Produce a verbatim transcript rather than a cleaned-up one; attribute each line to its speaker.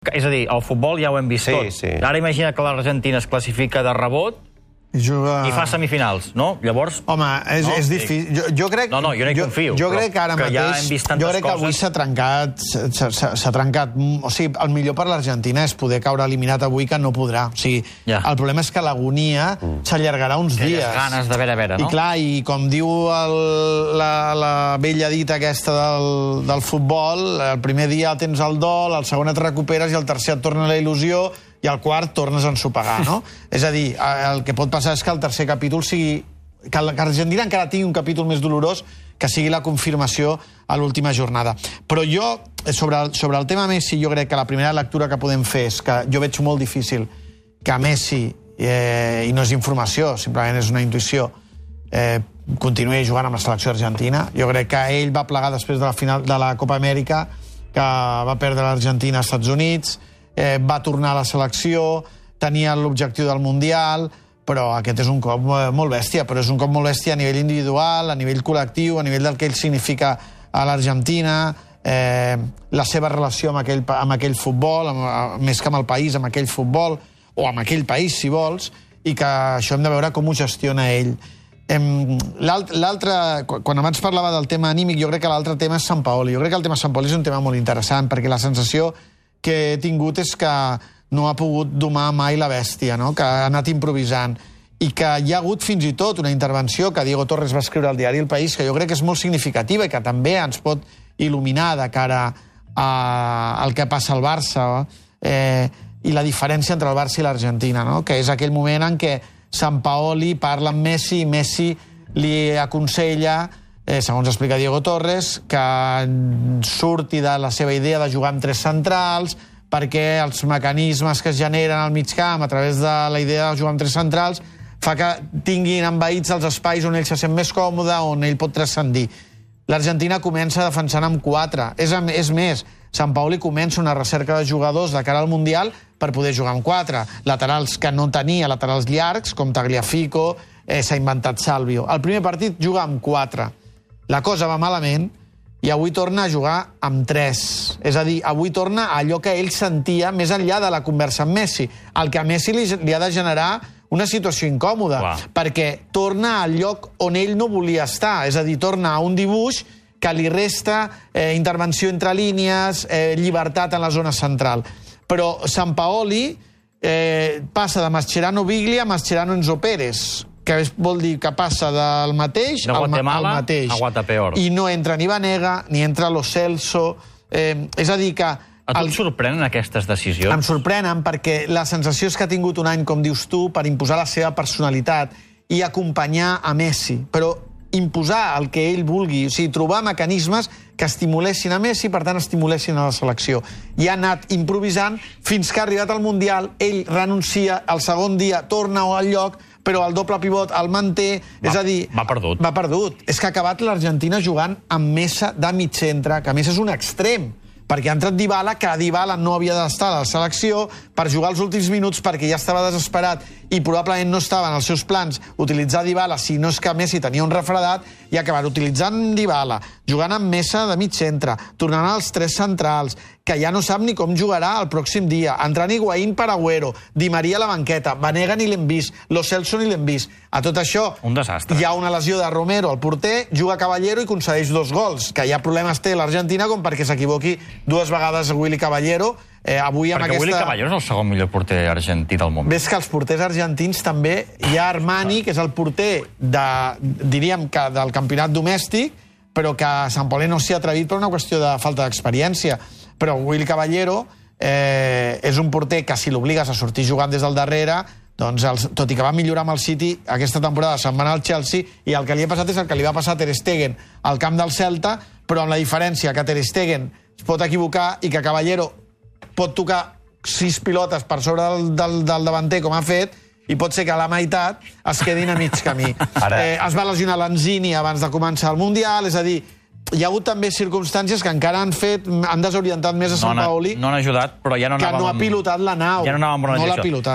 Speaker 1: És a dir, el futbol ja ho hem vist
Speaker 2: Sí,
Speaker 1: tot.
Speaker 2: sí.
Speaker 1: Ara imagina que l'Argentina es classifica de rebot
Speaker 3: I juga...
Speaker 1: i fa semifinals, no? Llavors...
Speaker 3: Home, és,
Speaker 1: No,
Speaker 3: és
Speaker 1: sí.
Speaker 3: difícil. Jo, jo crec...
Speaker 1: No, no, jo no hi confio,
Speaker 3: Jo, jo
Speaker 1: però
Speaker 3: crec que ara
Speaker 1: que ja
Speaker 3: mateix...
Speaker 1: hem vist tantes
Speaker 3: jo crec que avui
Speaker 1: coses.
Speaker 3: s'ha trencat... s'ha- s'ha s'ha trencat... O sigui, el millor per l'Argentina és poder caure eliminat avui, que no podrà. O sigui,
Speaker 1: Ja.
Speaker 3: el problema és que l'agonia s'allargarà uns
Speaker 1: Aquelles
Speaker 3: dies.
Speaker 1: ganes de veure a veure, no?
Speaker 3: I clar, i com diu el, la, la vella dita aquesta del, del futbol, el primer dia tens el dol, el segon et recuperes i el tercer et torna la il·lusió i al quart tornes a ensopegar, no? És a dir, el que pot passar és que el tercer capítol sigui... que l'Argentina encara tingui un capítol més dolorós, que sigui la confirmació a l'última jornada. Però jo, sobre el, sobre el tema Messi, jo crec que la primera lectura que podem fer és que jo veig molt difícil que Messi, eh, i no és informació, simplement és una intuïció, eh, continuï jugant amb la selecció argentina. Jo crec que ell va plegar després de la final de la Copa Amèrica, que va perdre l'Argentina als Estats Units, eh, va tornar a la selecció, tenia l'objectiu del Mundial, però aquest és un cop molt bèstia, però és un cop molt bèstia a nivell individual, a nivell col·lectiu, a nivell del que ell significa a l'Argentina, eh, la seva relació amb aquell, amb aquell futbol, amb, més que amb el país, amb aquell futbol, o amb aquell país, si vols, i que això hem de veure com ho gestiona ell. L'altre, quan abans parlava del tema anímic, jo crec que l'altre tema és Sampaoli. Jo crec que el tema Sampaoli és un tema molt interessant, perquè la sensació que he tingut és que no ha pogut domar mai la bèstia, no? Que ha anat improvisant, i que hi ha hagut fins i tot una intervenció que Diego Torres va escriure al diari El País, que jo crec que és molt significativa i que també ens pot il·luminar de cara a, al que passa al Barça, eh, i la diferència entre el Barça i l'Argentina, no? Que és aquell moment en què Sampaoli parla amb Messi i Messi li aconsella, eh, segons explica Diego Torres, que surti de la seva idea de jugar amb tres centrals, perquè els mecanismes que es generen al mig camp a través de la idea de jugar amb tres centrals fa que tinguin envaïts els espais on ell se sent més còmode, on ell pot transcendir. L'Argentina comença defensant amb quatre. És, és més, Sampaoli comença una recerca de jugadors de cara al Mundial per poder jugar amb quatre. Laterals que no tenia, laterals llargs, com Tagliafico, eh, s'ha inventat Salvio. El primer partit juga amb quatre. La cosa va malament i avui torna a jugar amb tres. És a dir, avui torna a allò que ell sentia més enllà de la conversa amb Messi. El que a Messi li, li ha de generar una situació incòmoda,
Speaker 1: Clar.
Speaker 3: perquè torna al lloc on ell no volia estar. És a dir, torna a un dibuix que li resta eh, intervenció entre línies, eh, llibertat en la zona central. Però Sampaoli eh, passa de Mascherano Biglia a Mascherano Enzo Pérez, que vol dir que passa del mateix
Speaker 1: De
Speaker 3: al,
Speaker 1: Guatemala
Speaker 3: al mateix.
Speaker 1: a Guatapeor.
Speaker 3: I no entra ni Vanega, ni entra Lo Celso. Eh, és a dir que...
Speaker 1: A tu
Speaker 3: el-
Speaker 1: et sorprenen aquestes decisions?
Speaker 3: em sorprenen perquè la sensació és que ha tingut un any, com dius tu, per imposar la seva personalitat i acompanyar a Messi, però imposar el que ell vulgui, o sigui, trobar mecanismes que estimulessin a Messi i, per tant, estimulessin a la selecció. I ha anat improvisant fins que ha arribat al Mundial, ell renuncia, el segon dia torna al lloc, però el doble pivot el manté,
Speaker 1: Va,
Speaker 3: és a dir...
Speaker 1: va perdut.
Speaker 3: Va perdut. És que ha acabat l'Argentina jugant amb Mesa de mig centre, que a més és un extrem, perquè ha entrat Dybala, que Dybala no havia d'estar a la selecció per jugar els últims minuts perquè ja estava desesperat i probablement no estava en els seus plans utilitzar Dybala, si no és que Messi tenia un refredat, i acabar utilitzant Dybala, jugant amb Mesa de mig centre, tornant als tres centrals, que ja no sap ni com jugarà el pròxim dia, entrant Higuaín per Agüero, Di Maria a la banqueta, Vanega ni l'hem vist, Lo Celso ni l'hem vist. A tot això,
Speaker 1: Un desastre.
Speaker 3: hi ha una lesió de Romero, el porter, juga Caballero i concedeix dos gols, que ja problemes té l'Argentina com perquè s'equivoqui dues vegades Willy Caballero. Eh, avui amb
Speaker 1: Perquè
Speaker 3: aquesta...
Speaker 1: Willy Caballero és el segon millor porter argentí del món.
Speaker 3: Ves que els porters argentins també... Hi ha Armani, que és el porter de, diríem que del campionat domèstic, però que Sampaoli no s'hi ha atrevit per una qüestió de falta d'experiència. Però Willy Caballero eh, és un porter que si l'obligues a sortir jugant des del darrere, doncs, els, tot i que va millorar amb el City, aquesta temporada se'n va anar al Chelsea i el que li ha passat és el que li va passar a Ter Stegen al camp del Celta, però amb la diferència que Ter Stegen es pot equivocar i que Caballero pot tocar sis pilotes per sobre del, del, del davanter, com ha fet, i pot ser que a la meitat es quedin a mig camí.
Speaker 2: Ara...
Speaker 3: Eh, es va lesionar Lanzini abans de començar el Mundial, és a dir, hi ha hagut també circumstàncies que encara han fet, han desorientat més a
Speaker 1: No han,
Speaker 3: Sampaoli,
Speaker 1: no han ajudat, però ja no
Speaker 3: que
Speaker 1: anàvem...
Speaker 3: no ha pilotat la nau.
Speaker 1: Ja no anàvem en bona
Speaker 3: no l'ha
Speaker 1: direcció.
Speaker 3: pilotat.